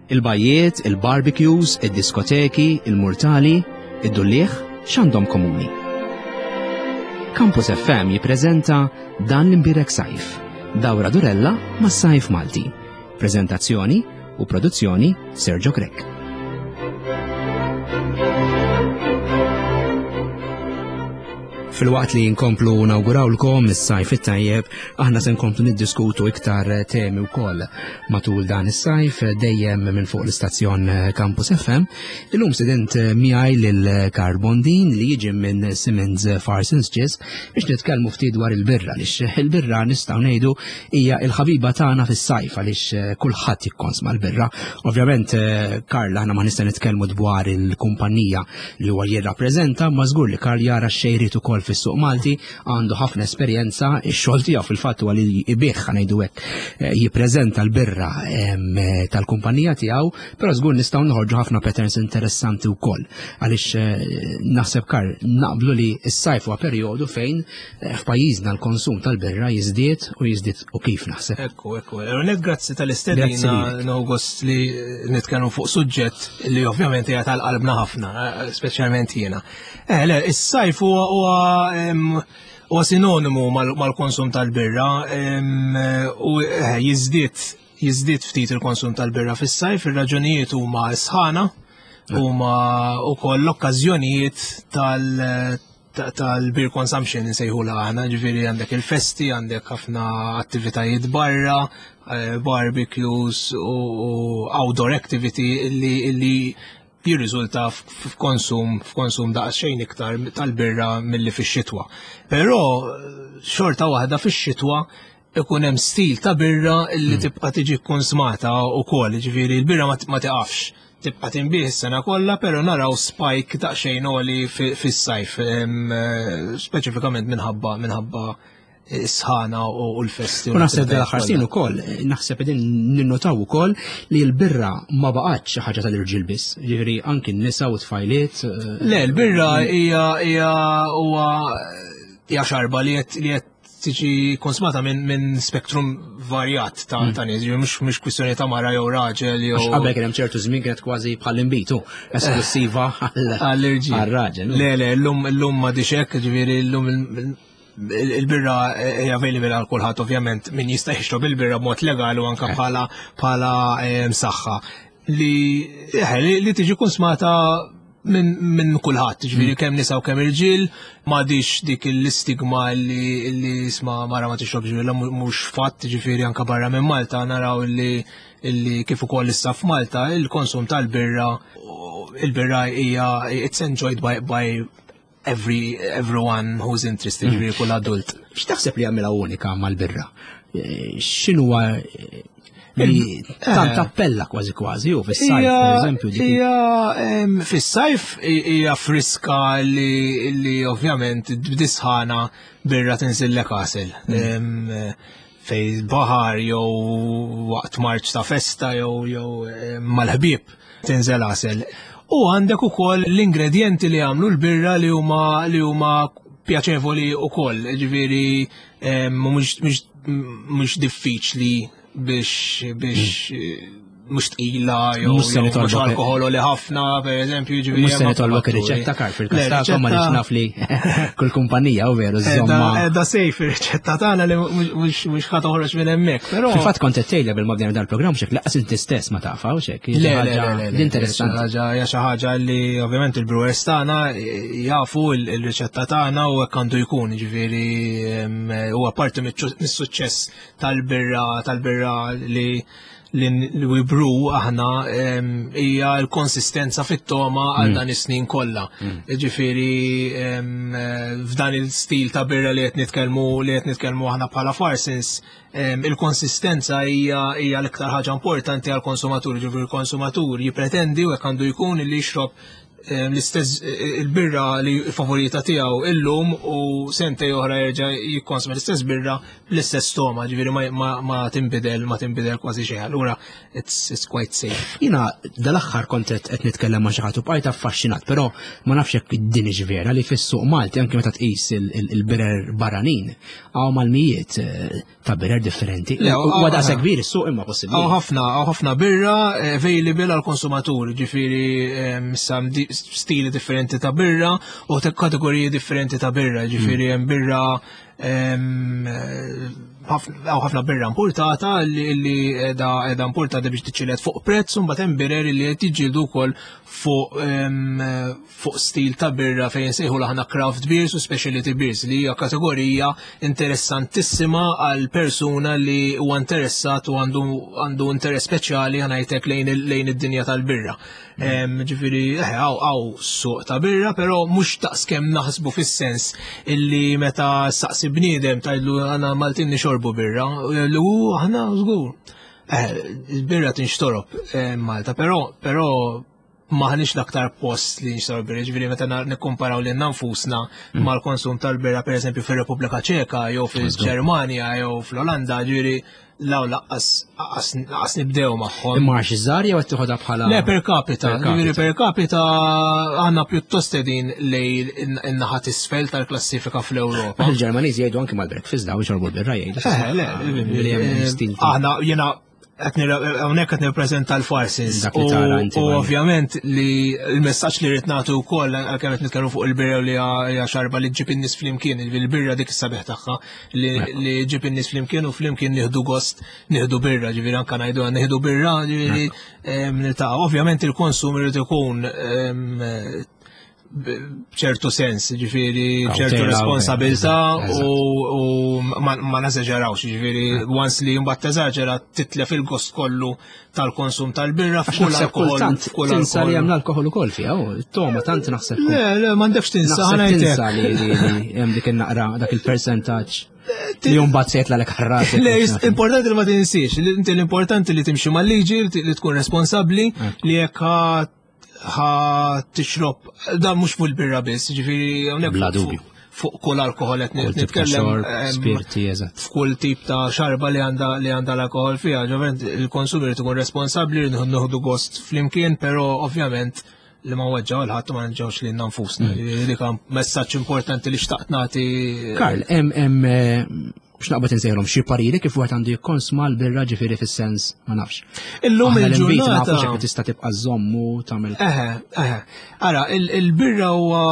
Il-bajjiet, il-barbecues, id-diskoteki, il-murtali, id-dulliegħ, x'għandhom komuni? Campus FM jippreżenta Dan l-Imbierek Sajf, dawra durella mas-sajf Malti. Preżentazzjoni u produzzjoni Sergio Grech. Filwaqt li nkomplu nawgurawlkom is-sajf it-tajjeb, aħna se nkomplu niddiskutu iktar temi wkoll matul dan is-sajf dejjem minn fuq l-istazzjon Campus FM. Illum sedent miegħi lil Karl Bondin li jiġi minn Simmons Farsons Ġis biex nitkellmu ftit dwar il-birra għaliex il-birra nistgħu ngħidu hija l-ħabiba tagħna fis-sajf għaliex kulħadd jikkonsma l-birra. Ovvjament Karl aħna ma nista' nitkellmu dwar il-kumpanija li huwa jirrappreżenta, ma żgur li Karl jara xejriet ukoll fis-suq Malti, għandu ħafna esperjenza, ix-xogħol tiegħu fil-fatt huwa li jbigħ ngħidu hekk, eh, jippreżenta l-birra tal-kumpanija tiegħu, però żgur nistgħu noħorġu ħafna patterns interessanti wkoll. Għaliex eh, naħseb Karl naqblu li s-sajf huwa perjodu fejn eh, f'pajjiżna l-konsum tal-birra jiżdied u jiżdied u kif naħseb. Ekku, ekku. Net grazzi tal-istedina gost li nitkellmu fuq suġġett li ovvjament hija tal-qalbna ħafna, eh, speċjalment jiena. Eh, le, is-sajf huwa huwa sinonimu mal-konsum tal-birra u eh, jiżdied jiżdied ftit il-konsum tal-birra fis-sajf, ir-raġunijiet huma s-sħana, huma wkoll l-okkażjonijiet tal- tal-beer consumption nsejħula aħna, ġifieri għandek il-festi, għandek ħafna attivitajiet barra, eh, barbecues u outdoor activity illi, illi jirriżulta f'konsum f'konsum daqsxejn iktar tal-birra milli fix-xitwa. Però xorta waħda fix-xitwa ikun hemm stil ta' birra li hmm. tibqa' tiġi konsmata wkoll, ġifieri l-birra ma tiqafx tibqa' tinbih is-sena kollha, però naraw spike daqsxejn għoli fis-sajf, eh, speċifikament minħabba minħabba s-sħana u l-festi. U naħseb l-aħħar snin ukoll, naħseb qegħdin ninnotaw ukoll li l-birra ma baqgħetx xi ħaġa tal-irġiel biss, jiġifieri anki n-nisa u tfajliet. Eh, Le, l-birra hija hija huwa hija xarba li qed li qed tiġi konsmata minn min spektrum varjat ta' mm. ta' nies, mhux mhux kwistjoni ta' mara jew raġel jew. Qabel kien hemm ċertu żmien kienet kważi bħal imbitu esklusiva għall-irġiel. Għall-raġel. Le, le, llum llum ma hekk, ġifieri llum il-birra hija available għal kulħadd ovvjament min jista' jixrob il-birra b'mod legali u anke eh. bħala bħala eh, msaħħa li eh, li tiġi konsmata minn min kulħadd, ġifieri mm. kemm nisa u kemm irġiel, m'għadix dik l-istigma li li isma' mara ma tixrobx ġifieri mhux fatt, ġifieri anke barra minn Malta naraw li li kif ukoll issa f'Malta il-konsum tal-birra il-birra hija it's enjoyed by, by every everyone who's interested, mm. ġifieri kull adult. X'taħseb li jagħmilha unika mal-birra? Eh, x'inhuwa eh, li tant eh. appella kważi kważi u fis-sajf, pereżempju. Hija fis-sajf hija friska li li ovvjament b'disħana birra tinżillek għasel. Mm. Fej baħar jew waqt marċ ta' festa jew jew mal-ħbieb tinżel għasel. U għandek ukoll l-ingredjenti li għamlu l-birra li huma li huma pjaċevoli ukoll, ġifieri mhux diffiċli biex biex mm. mhux tqila jew mhux alkohol li ħafna, pereżempju, ġifieri. Mhux se nitolbok ir-riċetta kar fil-każ ma nix naf li kull kumpanija u veru żomma. Da sejf ir-riċetta tagħna li mhux ħa toħroġ minn hemmhekk, però. Fil-fatt kont qed tgħidha bil ma bdejna dal-programm xek laqas inti stess ma tafha u xek. Le, le, le, Interessanti. Ħaġa hija xi ħaġa li ovvjament il-brewers tagħna jafu il-riċetta tagħna u hekk għandu jkun, ġifieri huwa parti mis-suċċess tal-birra tal-birra li li we brew aħna hija l-konsistenza fit-toma għal mm. dan is-snin kollha. Mm. Ġifieri f'dan il-stil ta' birra li qed nitkellmu li qed nitkellmu aħna bħala Farsins, il-konsistenza hija hija l-iktar ħaġa importanti għall konsumatur ġifieri il-konsumatur jippretendi u hekk għandu jkun li jixrob l-istess il-birra li favorita tiegħu illum u sentej oħra jerġa' jikkonsma l-istess birra bl-istess toma, ġifieri ma tinbidel ma tinbidel kważi xejn. Allura it's, it's quite safe. Jiena dal-aħħar kont qed nitkellem ma' xi ħadd u bqajt affaxxinat, però ma nafx jekk din hix vera li fis-suq Malti anke meta tqis il-birer barranin hawn mal-mijiet eh, ta' birra differenti. Huwa daqshekk kbir is-suq imma possibbli. Hawn ħafna, hawn ħafna birra eh, available għal konsumatur, ġifieri eh, issa stili differenti ta' birra u kategoriji differenti ta' birra, ġifieri hmm. hemm birra eh, hawn ħafna birra importata li qiegħda importata biex tiċċilet fuq prezz u mbagħad hemm birer li qed jiġġieldu wkoll fuq fuq stil ta' birra fejn sejħu aħna craft beers u specialty beers li hija kategorija interessantissima għal persuna li huwa interessat u għandu għandu interess speċjali ħanajtek lejn lejn id-dinja tal-birra. Mm. Ġifieri eh, hawn suq ta' birra, però mhux daqskemm naħsbu fis-sens illi meta saqsi bniedem tgħidlu għana Maltin nixorbu birra, lu aħna żgur. Eh, il-birra tinxtorob eh, Malta, però però maħniex l-aktar post li nxtorob birra, ġifieri meta nikkumparaw lil nfusna mm. mal-konsum tal-birra pereżempju fir-Repubblika Ċeka jew fil-Ġermanja jew fl-Olanda, ġifieri law laqqas nibdew magħhom. Imma għax iż-żgħar jew qed tieħodha bħala Le per capita, ġifieri per capita għandna pjuttost qegħdin lej in-naħa t'isfel tal-klassifika fl-Ewropa. Il-Ġermaniżi jgħidu anki mal-breakfast daw jxorbu l-birra jgħidu. Eh, le, eh, aħna jiena hawnhekk qed nirpreżenta l-farsis. U ovvjament li l-messaġġ li rrid nagħtu wkoll għalkemm qed nitkellmu fuq il-birra li hija xarba li ġġib in-nies flimkien, il-birra dik is-sabiħ tagħha li ġib in-nies flimkien u flimkien nieħdu gost nieħdu birra, ġifieri anke ngħidu nieħdu birra, ġifieri niltaqa'. Ovvjament il-konsum irid ikun b'ċertu sens, ġifiri ċertu responsabilta u ma nażeġerawx, ġifiri once li mbagħad teżaġera titlef il-gost kollu tal-konsum tal-birra f'kull alkohol. F'kull tinsa li hemm l-alkohol ukoll fiha, toma tant naħseb. Le, le, m'għandekx tinsa, tinsa li hemm dik in-naqra dak il-percentaġġ. Li jumbat se jitla l Le, importanti li ma tinsiex, l-importanti li timxi mal-liġi, li tkun responsabbli, li jekk ħa tixrob, dan mhux fuq il-birra biss, ġifieri hawnhekk Bla dubju. Fuq kull alkohol qed nitkellem. Spirti, eżatt. F'kull tip ta' xarba li għandha li għandha l-alkohol fiha, ġovent il-konsum irid ikun responsabbli, nieħdu gost flimkien, però ovvjament li ma weġġaw l-ħadd ma nġewx lilna nfusna. Mm. Dik messaġġ importanti li xtaqt nagħti. Karl, hemm eh, biex naqbad insejħilhom xi pariri kif wieħed għandu jikkonsma l-birra ġifieri fis-sens ma nafx. Illum il-ġurnata nafu tista' tibqa' żommu tagħmel. Eħe, eħe. Ara, il-birra huwa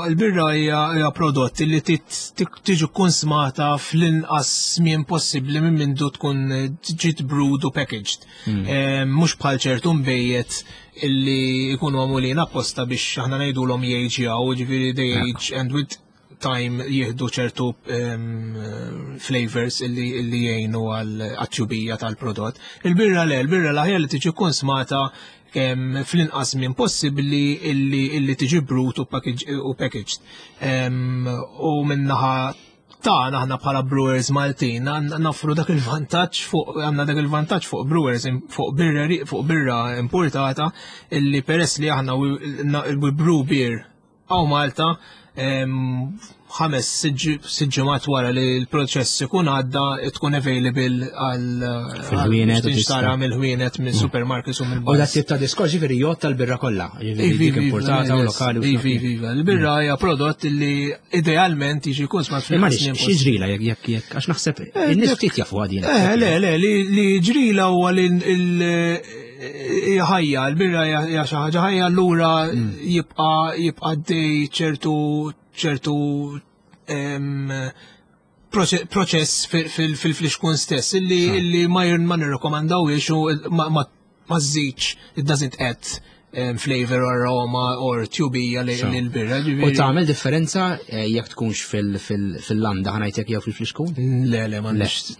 il-birra hija prodott li tiġi konsmata fl-inqas żmien possibbli minn mindu tkun ġiet brewed u packaged. Hmm. Eh, mhux bħal ċertu mbejjed illi jkunu għamulin apposta biex aħna ngħidulhom jgħiġjaw, ġifieri they age and with time jieħdu ċertu ehm, flavors illi, illi jgħinu għal-tjubija tal-prodott. Il-birra le, il-birra l-aħjar li tiġi konsmata ehm, fl-inqas minn possibbli illi, illi tiġi brut u packaged. Ehm, u minnaħa tagħna aħna bħala brewers Maltin nafru dak il-vantaġġ fuq għandna dak il-vantaġġ fuq brewers fuq birra fuq birra importata illi peress li aħna we brew beer Hawn Malta ħames sitt ġimgħat wara li l-proċess ikun għadda tkun available għal fil-ħwienet tara mill-ħwienet minn mm. supermarkets u mill U dak tip ta' diskors ġifieri jgħod tal-birra kollha, ġifieri dik iva, importata u lokali. Iva, iva, iva. Il-birra mm. hija prodott li idealment jiġi jkun smat fil Xi ġrila jekk jekk jekk għax naħseb eh, in-nies ftit jafu għadin. Eh, le, le, li ġrila huwa li hija ħajja, l-birra hija xi ħaġa ħajja allura mm. jibqa' jibqa' dej ċertu ċertu proċess fil-flixkun stess illi illi ma ma nirrekomandawiex u ma ma żidx it doesn't add flavor or aroma or tjubija li l-birra. U tagħmel differenza eh, jekk tkunx fil-landa ħanajtek jew fil-flixkun? Le, le, m'għandix.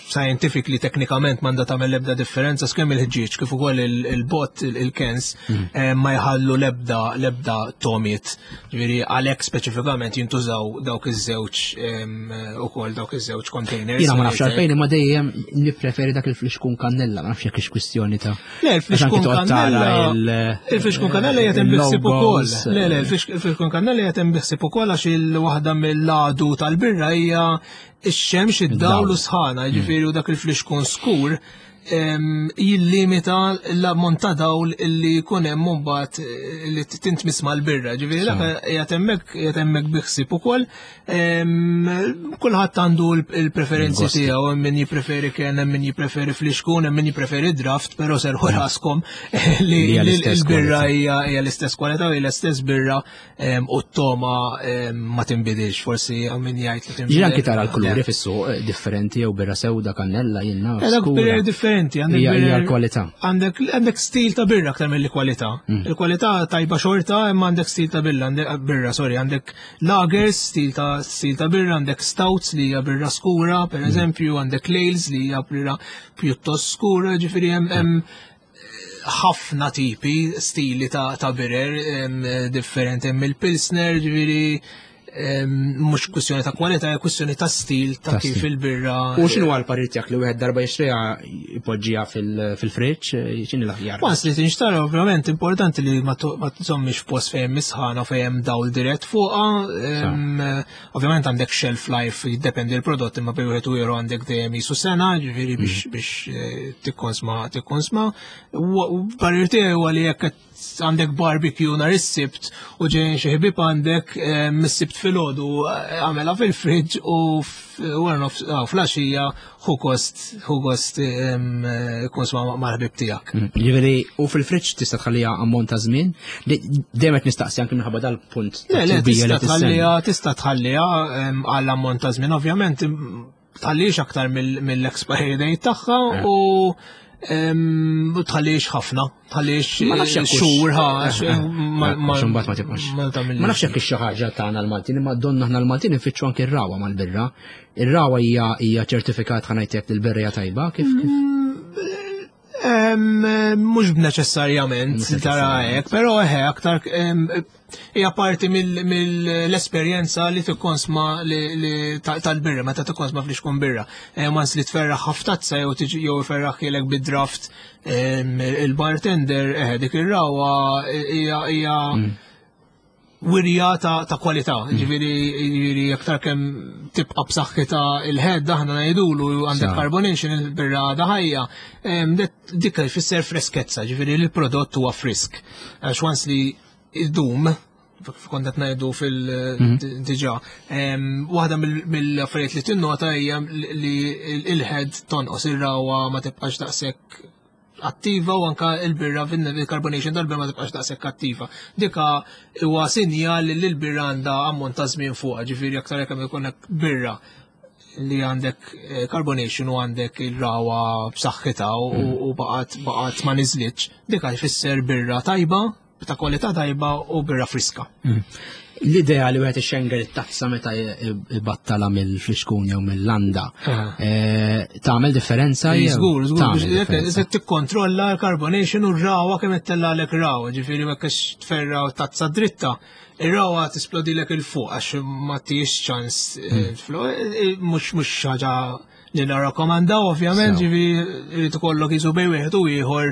Scientifically, teknikament m'għandha tagħmel l-ebda differenza skemm il-ħġieġ kif ukoll il-bot, il-kens, mm. eh, ma jħallu l-ebda l-ebda tomiet. Ġifieri għalhekk speċifikament jintużaw dawk iż-żewġ ukoll dawk iż-żewġ containers. Jiena ma nafx għalfejn imma dejjem nippreferi dak il-flixkun kannella, ma nafx jekk hix kwistjoni ta' Le, il-flixkun kannella. Il-flixkun kannella qiegħed hemm biħsib ukoll. Le, le, il-flixkun kannella qiegħed hemm biħsib ukoll għax il-waħda mill-għadu tal-birra hija ix-xemx, id-dawl u sħana, jiġifieri u dak il-flixkun skur jillimita l-ammont ta' dawl li jkun hemm mbagħad li tintmiss mal-birra. Ġifieri dak qiegħed hemmhekk qiegħed hemmhekk biħsib ukoll. Kulħadd għandu l-preferenzi tiegħu, hemm min jippreferi kien, hemm min jippreferi flixkun, hemm min jippreferi draft, però serħu raskom li l-birra hija l-istess kwalità u l-istess birra u t-toma ma tinbidilx, forsi hawn min jgħid li tinbidel. Ġieli anki tara l-kuluri fis-suq eh, differenti jew birra sewda kannella jien naf. Eh, dak birra differenti, għandek hija l-kwalità. Għandek għandek stil ta' birra aktar mill-kwalità. Mm. Il-kwalità tajba xorta imma għandek stil ta' birra, birra, sorry, għandek lagers, stil ta' stil ta' birra, għandek stouts li hija birra skura, per mm. eżempju, għandek ales li hija birra pjuttost skura, ġifieri hemm mm. ħafna tipi, stili ta', ta birer differenti hemm il-pilsner, ġifieri mhux kwistjoni ta' kwalità, hija kwistjoni ta' stil ta' kif il-birra. U x'inhu għal parir tiegħek li wieħed darba jixtriha jpoġġiha fil-friġġ, x'inhi l-aħjar? Once li tinxtara ovvjament importanti li ma tżommix f'post fejn misħana fejn hemm dawl dirett fuqha. Ovvjament għandek shelf life jiddependi l-prodott imma bej wieħed u ieħor għandek dejjem jisu sena, ġifieri biex mm. biex eh, tikkonsma tikkonsma. Parir tiegħi huwa li jekk għandek barbecue nhar is-sibt u ġejjin xi ħbieb għandek eh, mis-sibt filgħodu eh, għamela fil-friġġ u wara nofs ah, flaxija ħu kost ħu gost konsma mal-ħbieb tiegħek. Mm, ġifieri u fil-friġġ tista' tħalliha ammont ta' żmien, dejjem qed nistaqsi anke minħabba dal-punt. Le, le, tista' tħalliha tista' tħalliha għal ammont ta' żmien, ovvjament tħallix aktar mill-expiry date tagħha eh. u tħallix ħafna. Għaliex ma nafx jekk xhur ha eh, eh, ma mbagħad ma tibqax. Ma nafx jekk xi ħaġa tagħna l-Maltin, imma donna aħna l-Maltin infittxu anke r-rawa mal-birra. Ir-rawa hija hija ċertifikat ħa ngħidlek li l-birra hija tajba kif kif. Mm, mhux b'neċessarjament tara hekk, però eħe aktar Hija parti mill-esperjenza li tikkonsma tal-birra, meta tikkonsma fl-ixkun birra. Eh, Mans li tferraħ ħaftazza jew tiġi jew iferraħ bid-draft il-bartender, eh, dik ir-rawa hija mm. wirja ta' kwalità, mm. ġifieri ġifieri aktar kemm tibqa' b'saħħitha il-head aħna ngħidulu għandek carbonation il-birra għadha ħajja, dik jfisser freskezza, ġifieri l-prodott huwa frisk. Għax once li idum, kont qed ngħidu fil-diġà, mhm. waħda mill-affarijiet li tinnota hija li il-head tonqos ir-rawa ma tibqax daqshekk attiva u anka il-birra il-carbonation tal-birra ma tibqax daqshekk attiva. Dika huwa sinjal li l-birra għandha ammont ta' żmien fuqha, ġifieri aktar kemm ikollek birra li għandek eh, carbonation u għandek il-rawa b'saħħitha u mm. baqgħet baqgħet ma niżlitx, dik jfisser birra tajba, ta' kwalità tajba u birra friska. Mm. L-idea li wieħed ixxenger it-tazza meta ibattala mill-flixkun jew mill-landa eh, tagħmel differenza jew? Żgur, żgur, se tikkontrolla l-carbonation u r-rawa kemm qed tellgħalek rawa, ġifieri ma tferra tazza dritta Ir-rawa tisplodilek il fuq għax ma tiex ċans eh, hmm. eh, eh, mhux mhux ħaġa li narrakkomandaw ovvjament ġifi irid ikollok jisu bej wieħed u ieħor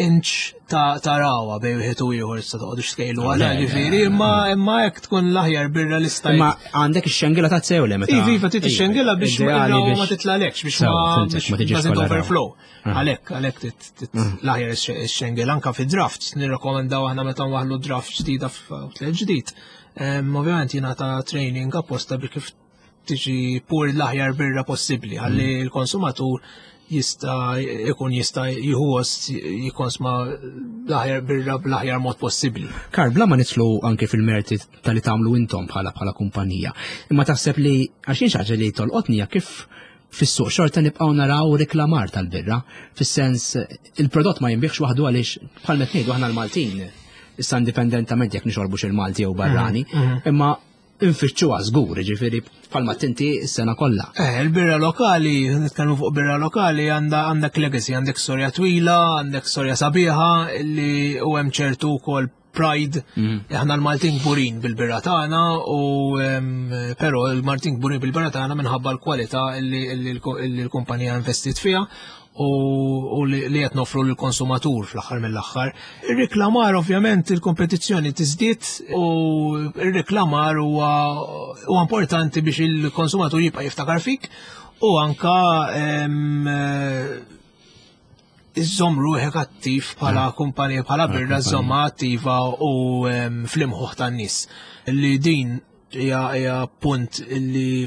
inch ta' rawa bej wieħed u ieħor issa toqgħodux tkejlu għala ġifieri imma imma hekk tkun l-aħjar birra li stajt. Imma għandek ix-xengila ta' sew le meta. Iva, iva trid ix-xengila biex ma titlalekx biex ma tiġix overflow. Ah. Għalhekk, għalhekk mm. l-aħjar ix-xengel anka fi draft, nirrakkomandaw aħna meta nwaħlu draft ġdida f'outlet ġdid. Ovvjament jingħata training apposta biex kif tiġi pur l-aħjar birra possibbli ħalli mm. l-konsumatur jista' ikun jista' jieħu gost jikkonsma l-aħjar birra bl-aħjar mod possibbli. Kar, bla ma nitlu anke fil-merti tal-li tagħmlu intom bħala bħala kumpanija. Imma taħseb li għax jien xi li tolqotni kif Fis-suq xorta nibqgħu naraw riklamar tal-birra, fis-sens il-prodott ma jinbiegħx waħdu għaliex bħal qed ngħidu aħna l-Maltin, issa indipendentament jekk nixorbux il-Malti jew barrani, mhm, mhm. imma nfittxuha żgur, ġifieri bħalma tinti s-sena kollha. Eh, il-birra lokali, nitkellmu fuq birra lokali, għandha għandek legacy, għandek storja twila, għandek storja sabiħa li u hemm ċertu wkoll pride. Aħna l-Maltin kburin bil-birra tagħna u però l-Maltin kburin bil-birra tagħna minħabba l-kwalità li l-kumpanija investit fiha u li qed nofru lill-konsumatur fl-aħħar mill-aħħar. Ir-reklamar ovvjament il-kompetizzjoni tiżdied u ir-reklamar huwa importanti biex il-konsumatur jibqa' jiftakar fik u anka iżżomm ruħek attiv bħala kumpanija bħala birra żomma attiva u fl-imħuħ tan-nies. Li din hija punt li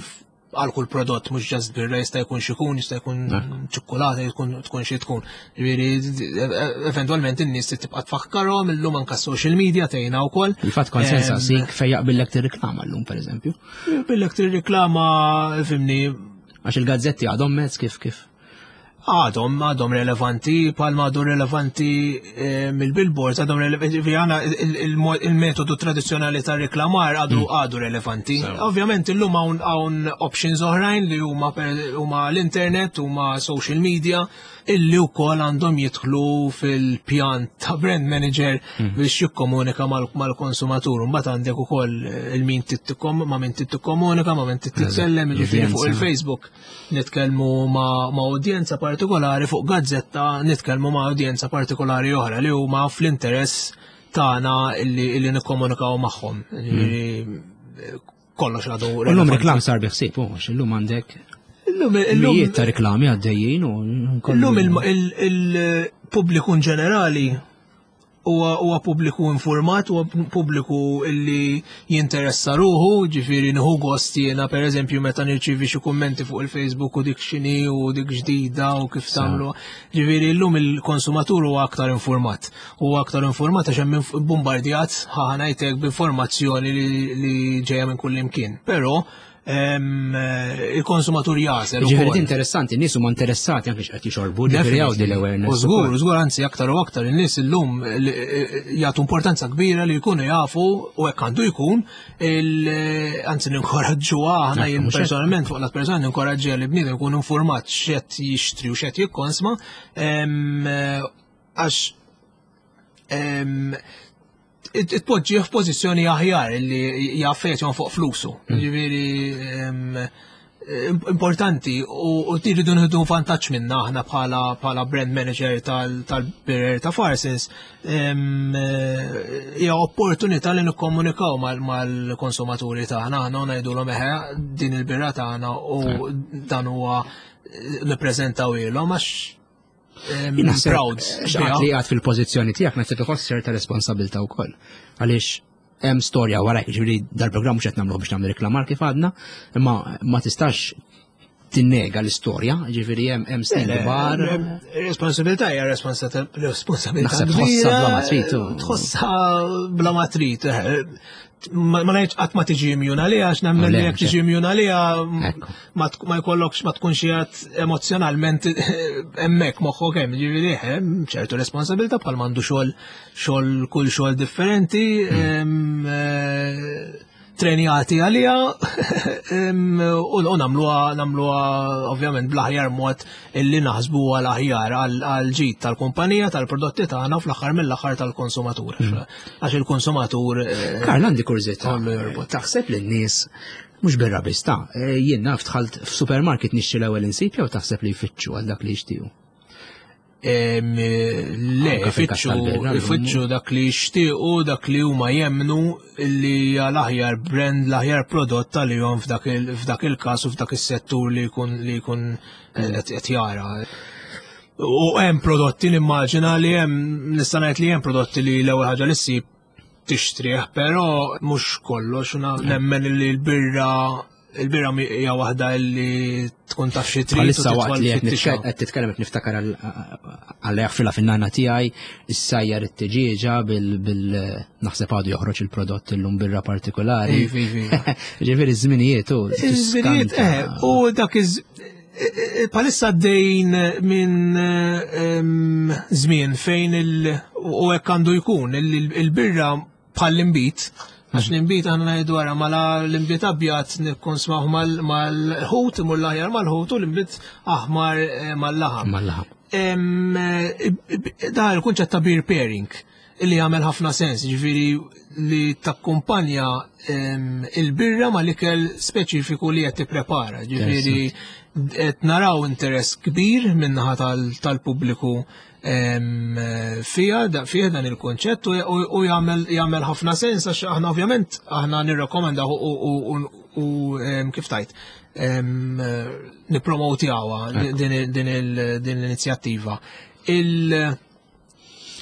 għal kull prodott mhux ġast birra jista' jkun xikun, jista' jkun ċikkulata, jkun tkun xi tkun. Ġifieri eventwalment in-nies tibqa' tfakkarhom illum anke social media tgħinha wkoll. Il-fatt konsensa sik fejn jaqbillek tirriklama llum pereżempju. Jaqbillek tirriklama fimni. Għax il-gazzetti għadhom mezz kif kif. Għadhom, għadhom relevanti, palma għadu relevanti eh, mill-billboards, għadhom relevanti, għana il-metodu tradizjonali ta' reklamar għadu mm. għadu relevanti. Ovvjament illum hawn hawn options oħrajn li huma huma l-internet, huma social media, illi wkoll għandhom jidħlu fil-pjan ta' brand manager mm. biex jikkomunika mal-konsumatur. Mbagħad għandek ukoll il-min ma' min tikkomunika, ma' min titkellem, jiġifieri fuq il-Facebook. nitkellmu ma', ma udjenza partikolari fuq gazzetta nitkellmu ma' udjenza partikolari oħra li huma fl-interess tagħna illi, illi nikkomunikaw magħhom. Hmm. Kollox għadu. Illum reklam sar biħsib, u illum għandek Illum illum ta' reklami għaddejjin u illum il-pubbliku ġenerali huwa pubbliku informat, huwa pubbliku illi jinteressa ruħu, ġifieri nieħu gost jiena pereżempju meta nirċievi xi kummenti fuq il-Facebook u dik x'inhi u dik ġdida u kif tagħmlu. Ġifieri llum il-konsumatur huwa aktar informat. Huwa aktar informat għax hemm bombardjat ħa ngħidlek b'informazzjoni li ġejja minn kull imkien. Però il-konsumatur jażel. Ġifieri interessanti, nies huma interessati anke x'qed jixorbu, ġifieri hawn din l-awareness. U żgur, żgur anzi aktar u aktar in-nies illum eh, jagħtu importanza kbira li jkunu jafu u hekk għandu jkun anzi ninkoraġġuha aħna jien personalment fuq lat personali ninkoraġġiha li bniedem jkun informat x'qed jixtri u x'qed jikkonsma għax tpoġġih f'pożizzjoni aħjar li jaf fejn fuq flusu. Hmm. Ġifieri importanti u tiridu nħidu vantaġġ minna aħna bħala bħala brand manager tal-Birrer ta' Farsins hija opportunità li nikkomunikaw mal-konsumaturi tagħna aħna u ngħidulhom eħe din il-birra tagħna u dan huwa nippreżentaw ilhom għax Proud. Xaqt li għad fil-pozizjoni tijak, naħseb iħoss ċerta responsabilta u koll. Għalix, hemm storja wara, ġifieri dal-programm mhux qed nagħmluh biex nagħmlu reklamar kif għadna, imma ma tistax tinnega l-istorja, ġifieri hemm hemm snin kbar. Responsabilità hija responsabilità. Naħseb tħossha bla ma trid. Tħossha bla ma trid. Eh. Ma ngħidx qatt ma tiġi immune għaliha għax nemmen li jekk tiġi immune għaliha ma jkollokx ma tkunx qiegħed emozjonalment hemmhekk moħħok hemm, ġifieri hemm ċertu responsabilità bħal m'għandu xogħol xogħol kull xogħol differenti, hmm. eh, trenjati għalija u nagħmluha nagħmluha ovvjament bl-aħjar mod illi naħsbu għal aħjar għal ġid tal-kumpanija tal-prodotti tagħna u fl-aħħar mill-aħħar tal-konsumatur. Hmm. Għax il-konsumatur. Eh, Karl għandi kurżità. Taħseb li n-nies Mhux birra biss ta' eh, jien naf dħalt f'supermarket nixtri l-ewwel insib jew taħseb li jfittxu għal dak li jixtiequ? Le, ifittxu dak li jixtiequ, dak li huma jemnu li hija l-aħjar brand, l-aħjar prodott tal-jom f'dak il-każ u f'dak is-settur li jkun li jkun qed jara. U hemm prodotti nimmaġina li hemm nista' ngħid li hemm prodotti li l-ewwel ħaġa li ssib tixtrih, però mhux kollox nemmen li l-birra il-birra hija waħda li tkun taf xi trid. Bħalissa waqt li qed titkellem qed niftakar għal jaħfilha fin-nana tiegħi, issajjar it-tiġieġa bil naħseb għadu joħroġ il-prodott illum birra partikolari. Ġifieri ż-żminijiet u. Iż-żminijiet, eh, u dak iż Palissa għaddejn minn żmien fejn il u hekk għandu jkun il-birra bħall-imbit, għax l-imbit għandna ngħidu wara mala l-imbit abjad nikkonsmaw mal-ħut, imur l-aħjar mal-ħut u l-imbit aħmar eh, mal-laħam. Mal-laħam. Da il-kunċett ta' beer pairing. li jagħmel ħafna sens, ġifieri li takkumpanja il-birra ma l-ikel speċifiku li qed tipprepara, ġifieri qed naraw interess kbir min-naħa tal-pubbliku fija fih dan il-konċett u jagħmel ħafna sens għax aħna ovvjament aħna nirrekomendaw u kif tajt nippromotjawha din l-inizjattiva. Il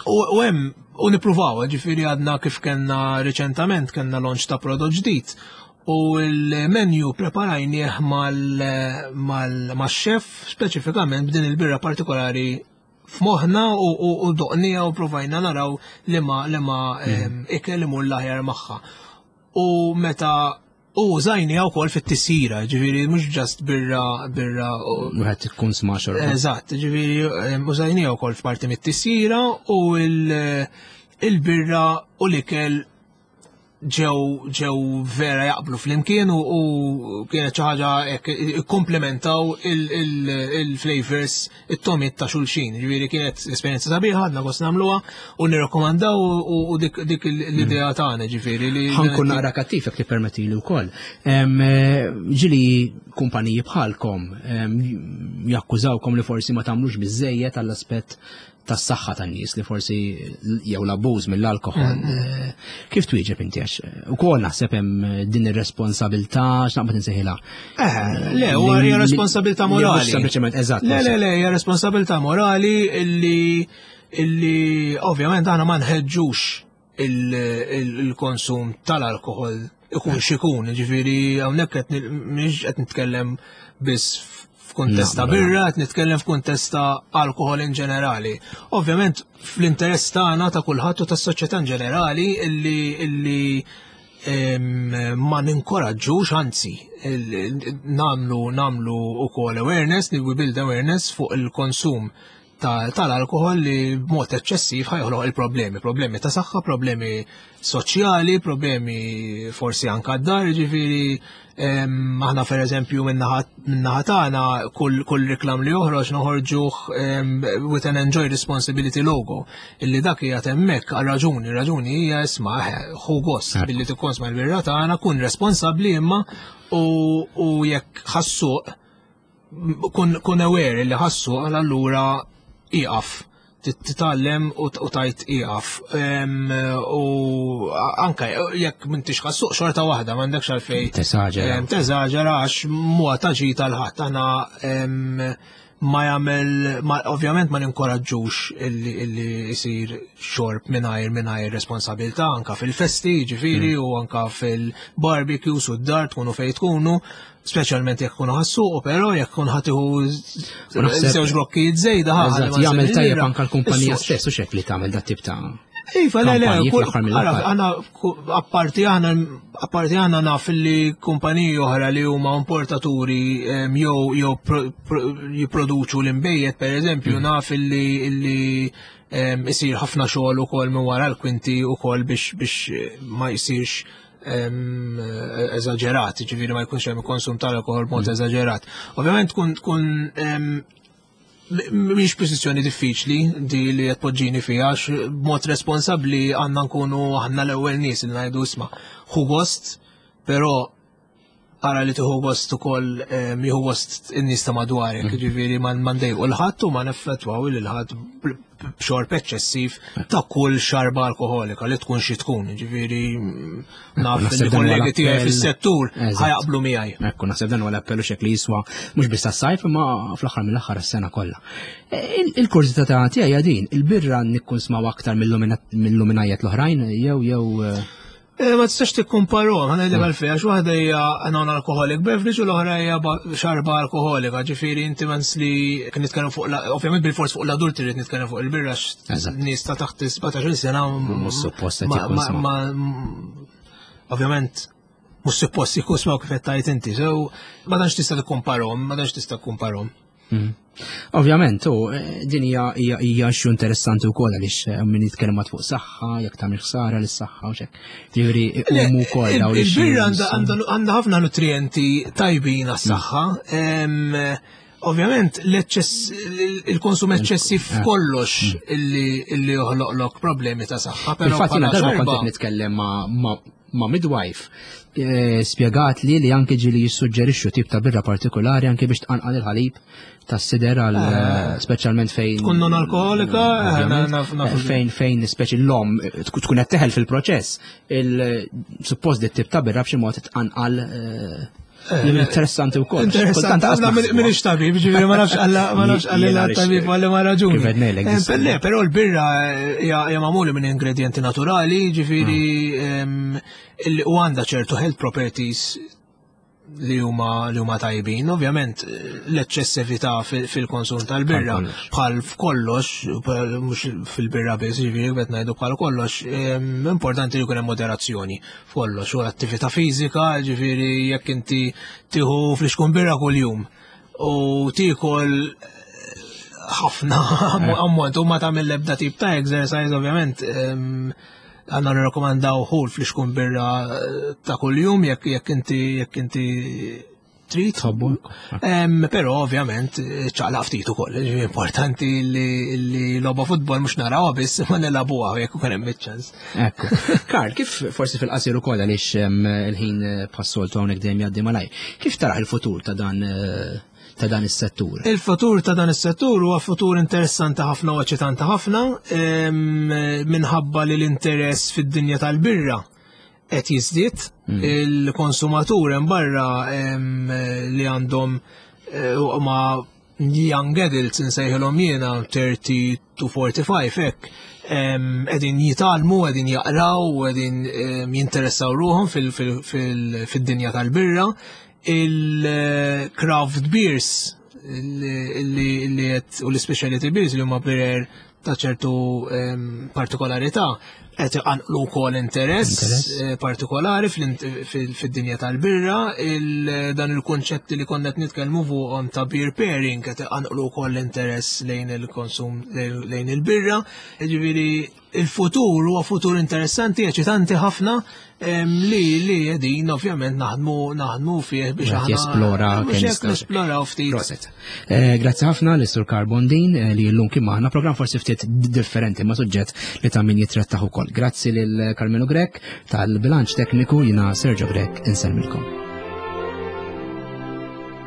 U hemm u nippruvaw, ġifieri għadna kif kellna riċentament kellna launch ta' prodott ġdid u l-menu preparajnieh mal-chef speċifikament b'din il-birra partikolari f'moħħna u doqnija u provajna naraw li ma li ma mm. ikel imur l-aħjar magħha. U meta u użajniha wkoll fit-tisjira, ġifieri mhux ġast birra birra. Wieħed ikun smaxor. Eżatt, ġifieri użajniha wkoll f'parti mit-tisjira u il-birra u l-ikel ġew ġew vera jaqblu flimkien u, u kienet xi ħaġa hekk ikkomplementaw il-flavors it-tomiet ta' xulxin. Ġifieri kienet esperjenza sabiħa, għadna gost nagħmluha u nirrakkomandaw u dik, dik l-idea tagħna ġifieri li. Ħankun naqra kattiv jekk tippermettili wkoll. Eh, ġili kumpaniji bħalkom jakkużawkom li forsi ma tagħmlux biżejjed għall-aspett tas-saħħa tan-nies li forsi jew l-abbuż mill-alkoħol. Mm. Eh, kif twieġeb inti għax eh, ukoll naħseb hemm eh, din ir-responsabilità x'naqbad insejħilha. Eh, le, huwa hija responsabilità morali. Sempliċement eżatt. Le, le, le, hija responsabilità morali illi illi ovvjament aħna ma nħeġġux il-konsum tal-alkohol ikun xikun, ġifiri hawnhekk qed mhix qed nitkellem biss f'kuntest ta' birra, qed nitkellem f'kuntest ta' alkohol in ġenerali. Ovvjament fl-interess tagħna ta' kulħadd u tas-soċjetà in ġenerali illi illi ma ninkoraġġux, anzi, namlu namlu ukoll awareness, we build awareness fuq il-konsum tal-alkohol li b'mod eċċessiv ħajħloq il-problemi, problemi ta' saħħa, problemi soċjali, problemi forsi anka d-dar, ġifiri aħna per eżempju minnaħa tagħna kull, kull reklam li joħroġ noħorġuh with an enjoy responsibility logo illi dak hija hemmhekk għal raġuni, raġuni hija isma' ħu gost billi tikkonsma l-birra tagħna kun responsabbli imma u, u jekk ħassuq kun, kun aware li ħassu għal allura iqaf titgħallem u tajt iqaf. U anka jekk m'intix ħassuq xorta waħda m'għandekx għalfejn. Teżaġera. Teżaġera għax mhuwa ta' ġid għal ħadd. Aħna ma jagħmel ovvjament ma ninkoraġġux illi illi jsir xorb mingħajr mingħajr responsabilità anka fil-festi, ġifieri, mm. u anka fil-barbecues u d-dar tkunu fejn tkunu. Speċjalment jekk kunu ħassuqu, però jekk kun ħatiħu żewġ blokkijiet żejda ħa. Jagħmel tajjeb anke l-kumpanija stess u xek li tagħmel dat tip ta' Iva, le, le, għana, apparti għana, apparti għana naf li kumpaniji oħra li huma importaturi jew jew jipproduċu l-imbejjed, per eżempju, mm. naf li illi isir ħafna xogħol ukoll minn wara l-kwinti ukoll biex biex ma jsirx eżaġerat, ġifieri ma jkunx hemm konsum tal-alkohol b'mod mm. eżaġerat. Ovvjament tkun tkun mhix pożizzjoni diffiċli di li qed poġġini fiha għax b'mod responsabbli għandna nkunu aħna l-ewwel nies li ngħidu isma' ħu gost, però ara li tieħu gost ukoll jieħu gost in-nies ta' madwarek, mm. ġifieri ma ndejqu l-ħadd u ma neffettwaw lil ħadd b'xorb eċċessiv ta' kull xarba alkoholika li tkun xi tkun, ġifieri mm, naf li kollegi tiegħi fis-settur ħajaqblu miegħi. Ekku naħseb dan huwa l-appellu xek li jiswa mhux biss tas-sajf imma fl-aħħar mill-aħħar is-sena kollha. E, il-kurżità ta' tiegħi din, il-birra nikkun smaw aktar mill-luminajiet l-oħrajn jew jew eh, Eh, ma tistax tikkumparhom, ħana ngħidlek għalfejn, għax waħda hija non-alcoholic beverage u l-oħra hija xarba alkoholika, ġifieri inti mens li kien nitkellem fuq ovvjament bil-fors fuq l-adulti rrid nitkellem fuq il-birra nies ta' taħt 17 sena. Mhux suppost qed Ovvjament mhux suppost jkun smaw kif qed tgħid inti, so ma tantx tista' tikkumparhom, ma tantx tista' tikkumparhom. Mm. Ovvjament, u eh, din hija hija xu interessanti wkoll għaliex eh, min jitkellem fuq saħħa, jekk tagħmel ħsara lis-saħħa u xek. Ġifieri huma wkoll dawn Il-birra għandha ħafna nutrienti tajbin għas-saħħa. Ovvjament, l-eċċess, il-konsum eċċessiv eh. f'kollox mm. illi joħloqlok problemi ta' saħħa. Fil-fatt jiena darba kont qed nitkellem ma' midwife eh, spjegat li li anke ġieli jissuġġerixxu tip ta' birra partikolari anke biex tqanqal il-ħalib tas-sider għal eh. eh, speċjalment fejn tkun non alkoholika, fejn fejn speċi l-om tkun qed teħel fil-proċess, il-suppost dit tip ta' birra b'xi mod tqanqal Li interessanti wkoll. Interessanti, għazna minix tabib, ġifieri ma nafx għalla ma nafx għalla tabib għalli ma raġuni. Eh, le, però l-birra eh, hija magħmula minn ingredienti naturali, ġifieri mm. u għandha ċertu health properties li huma li huma tajbin. Ovvjament l-eċċessività fil-konsum tal-birra bħal f'kollox, mhux fil-birra biss, ġifieri qed ngħidu bħal kollox, importanti li jkun hemm moderazzjoni. Kollox, u attività fiżika, ġifieri jekk inti tieħu flixkun birra kuljum u tiekol eh, ħafna ammont u ma tagħmel l-ebda tip ta' exercise ovvjament għandna nirrakkomandaw ħul flixkun birra eh, ta' kuljum jekk jekk inti jekk inti trid. Tħobbu. Però ovvjament ċaqlaq ftit ukoll. Importanti li logħba futbol mhux narawha biss ma nilagħbuha jekk ukoll hemm iċ-ċans. Ekku. Karl, kif forsi fil-qasir ukoll għaliex il-ħin eh, passoltu hawnhekk dejjem jgħaddi malaj. Kif taraħ il-futur ta' dan eh, ta' dan is-settur? Il-futur ta' dan is-settur huwa futur interessanti ħafna u eċitanti ħafna minħabba li l-interess fid-dinja tal-birra qed jiżdied, mm. il-konsumatur hemm barra li għandhom eh, ma young adults insejħilhom jiena 30 to 45 hekk qegħdin jitgħallmu, qegħdin jaqraw, qegħdin jinteressaw ruħhom fid-dinja tal-birra. Il-craft beers li qed u l-specialty beers li huma birer ta' ċertu partikolarità qed iqanqlu wkoll interess eh, partikolari fid-dinja tal-birra, dan il-kunċetti li konna qed nitkellmu fuqhom ta' beer pairing qed iqanqlu wkoll interess lejn il-konsum lejn il-birra. Jiġifieri il-futur huwa futur interessanti, eċitanti ħafna li li qegħdin ovvjament naħdmu naħdmu fih biex aħna jesplora kemm nesploraw ftit. Proset. Eh, grazzi ħafna l Sur Carbondin eh, li llum kien magħna programm forsi ftit differenti ma' suġġett li ta' min jitrattaħ ukoll. Grazzi lil Carmelo Grek tal-bilanċ tekniku jina Sergio Grek insellmilkom.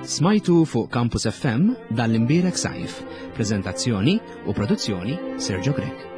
Smajtu fuq Campus FM dan l-imbierek sajf. Prezentazzjoni u produzzjoni Sergio Grek.